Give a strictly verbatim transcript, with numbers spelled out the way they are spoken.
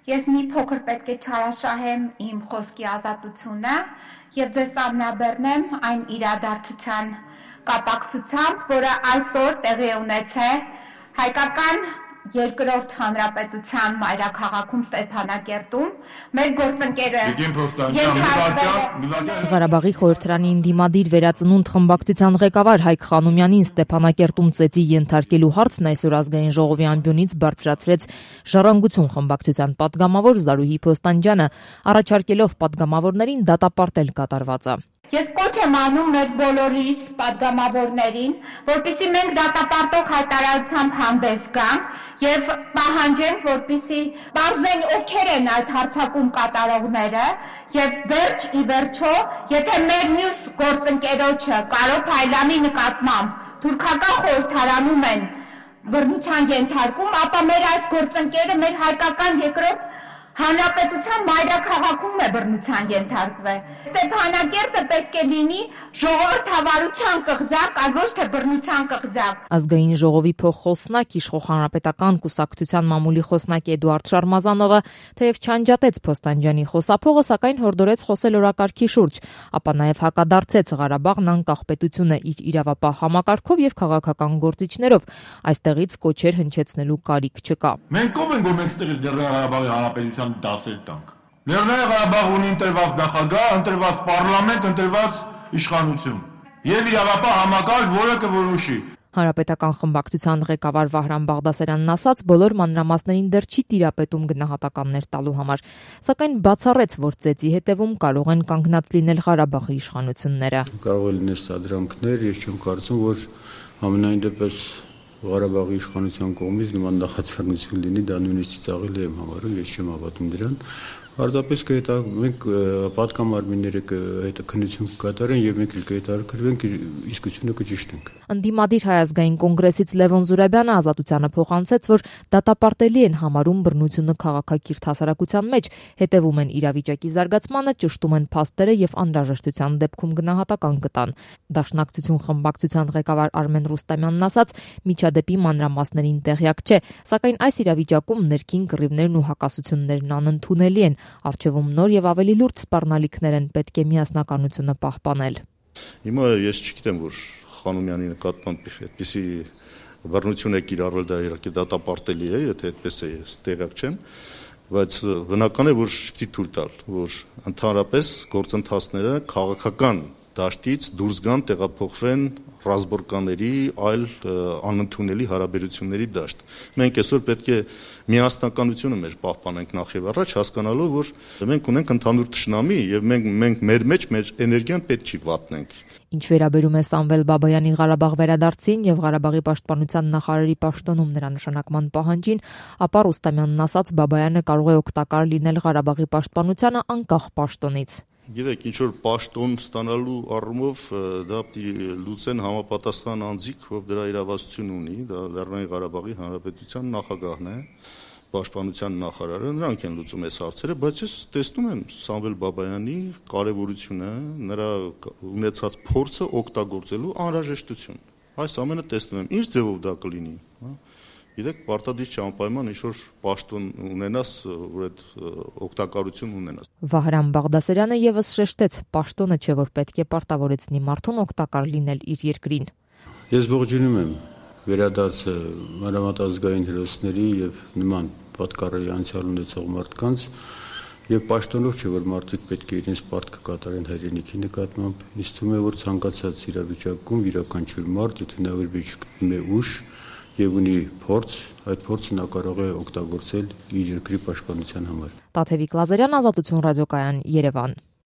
Ես մի փոքր պետք է չարաշահեմ իմ խոսքի ազատությունը եւ ձեզ ամնաբեռնեմ այն իրադարձության կապակցությամբ, որը այսօր տեղի ունեցել հայկական երկրորդ հանրապետության մայրաքաղաքում Ստեփանակերտում մեր գործընկերը Ղարաբաղի խորհրդարանի ընդդիմադիր վերածնունդ խմբակցության ղեկավար Հայկ Խանոմյանին Ստեփանակերտում ծեծի ենթարկելու հարցն այսօր ազգային ժողովի ամբիոնից բարձրացրեց Ժառանգություն խմբակցության պատգամավոր Զարուհի Փոստանջյանը, առաջարկելով պատգամավորներին դատապարտել կատարվածը։ Ես կոչ եմ անում մեր բոլորիս պատգամավորներին, որպեսզի մենք դատապարտող հայտարարությամբ հանդես գանք եւ պահանջենք, որպեսզի բարձեն ովքեր են այդ հարձակում կատարողները եւ վերջ ի վերջո, եթե մեր մյուս գործընկերոջը Կարո Փայլյանի նկատմամբ թուրքական խորհրդարանում են բռնության ենթարկում, ապա մեր այս գործընկերը մեր հայկական երկրորդ հանրապետության մայրաքաղաքում է բռնության ենթարկվել։ Ստեփանակերտը պետք է լինի ժողովրդավարության կղզակ, այլ ոչ թե բռնության կղզակ։ Ազգային ժողովի փոխխոսնակ Իշխող հանրապետական կուսակցության մամուլի խոսնակ Էդուարդ Շարմազանովը թեև չանջատեց Փոստանջյանի խոսափողը, սակայն հորդորեց խոսել օրակարգի շուրջ, ապա նաև հակադարձեց Ղարաբաղն անկախ պետությունը իր իրավապահ համակարգով եւ քաղաքական գործիչներով։ Այստեղից կոչեր հնչեցնելու կարիք չկա։ Մենք ով ենք, որ մենք ստեղից Ղարաբաղի հանրապետության դասեր տանք։ Լեռնային Ղարաբաղ ունի ընտրված նախագահ, ընտրված պարլամենտ, ընտրված իշխանություն եւ իրավապահ համակարգ, որը կորոշի։ Հանրապետական խմբակցության ղեկավար Վահրամ Բաղդասարյանն ասաց, բոլոր մանրամասներին դեռ չի տիրապետում գնահատականներ տալու համար, սակայն բացառեց, որ ծեծի հետևում կարող են կանգնած լինել Ղարաբաղի իշխանությունները։ Կարող է լինել սադրանքներ, ես չեմ կարծում, որ ամենայն դեպս Ղարաբաղի իշխանության կողմից նման նախաձեռնություն լինի, դա նույնիսկ ծաղիլ եմ համարում, ես չեմ հավատում դրան։ Պարզապես կհետա մենք պատգամարմինները հետաքննություն կկատարեն եւ մենք էլ կհետաքրքրվենք իսկությունը կճշտենք։ Ընդդիմադիր Հայ ազգային կոնգրեսից Լևոն Զուրաբյանը Ազատությանը փոխանցեց, որ դատապարտելի են համարում բռնությունը քաղաքակիրթ հասարակության մեջ, հետևում են իրավիճակի զարգացմանը, ճշտում են փաստերը եւ անհրաժեշտության դեպքում գնահատական կտան։ Դաշնակցություն խմբակցության ղեկավար Արմեն Ռուստամյանն ասաց, միջադեպի մանրամասներին տեղյակ չէ, սակայն այս իրավիճակում ներքին կռիվներն ու հակասություններն անընդունելի են։ Առջևում նոր եւ ավելի լուրջ սպառնալիքներ են, պետք է միասնականությունը պահպանել։ Հիմա ես չգիտեմ, որ Խանոմյանի նկատմամբ այդպիսի բռնություն է կիրառվել, դա իհարկե դատապարտելի է, եթե այդպես է, ես տեղյակ չեմ, բայց բնական է, որ շփթի թույլ տալ, որ ընդհանրապես գործընթացները քաղաքական դաշտից դուրս գան, տեղափոխվեն ռազմորկաների, այլ անընդունելի հարաբերությունների դաշտ։ Մենք այսօր պետք է միասնականությունը մեր պահպանենք նախ եւ առաջ, հասկանալով, որ մենք ունենք ընդհանուր թշնամի եւ մենք մենք մեր մեջ մեր էներգիան պետք չի վատնենք։ Ինչ վերաբերում է Սամվել Բաբայանի Ղարաբաղ վերադարձին եւ Ղարաբաղի պաշտպանության նախարարի պաշտոնում նրա նշանակման պահանջին, ապա Ռուստամյանն ասաց, Բաբայանը կարող է օգտակար լինել Ղարաբաղի պաշտպանությանը անկախ պաշտոնից։ Գիտեք, ինչ որ պաշտոն ստանալու առումով դա պիտի լուծեն համապատասխան անձիկ, ով դրա իրավասություն ունի, դա Լեռնային Ղարաբաղի Հանրապետության նախագահն է, պաշտպանության նախարարը, նրանք են լուծում այս հարցերը, բայց ես տեսնում եմ Սամվել Բաբայանի կարևորությունը, նրա ունեցած փորձը օգտագործելու անհրաժեշտություն։ Այս ամենը տեսնում եմ, ինչ ձևով դա կլինի, հա։ Գիտեք, պարտադիր չի անպայման ինչ-որ պաշտոն ունենաս, որ այդ օգտակարություն ունենաս։ Վահրամ Բաղդասարյանը եւս շեշտեց, պաշտոնը չէ, որ պետք է պարտավորեցնի մարդուն օգտակար լինել իր երկրին։ Ես ողջունում եմ վերադարձը մանրամասնազգային հերոսների եւ նման պատկառելի անցյալ ունեցող մարդկանց եւ պաշտոնով չէ, որ մարդիկ պետք է իրենց պարտքը կատարեն հայրենիքի նկատմամբ։ Ինձ թվում է, որ ցանկացած իրավիճակում յուրաքանչյուր մարդ, եթե նա վերբերում է ուժ եւ ունի փորձ, այդ փորձը նա կարող է օգտագործել իր երկրի պաշտպանության համար։ Տաթևիկ Լազարյան, Ազատություն ռադիոկայան, Երևան։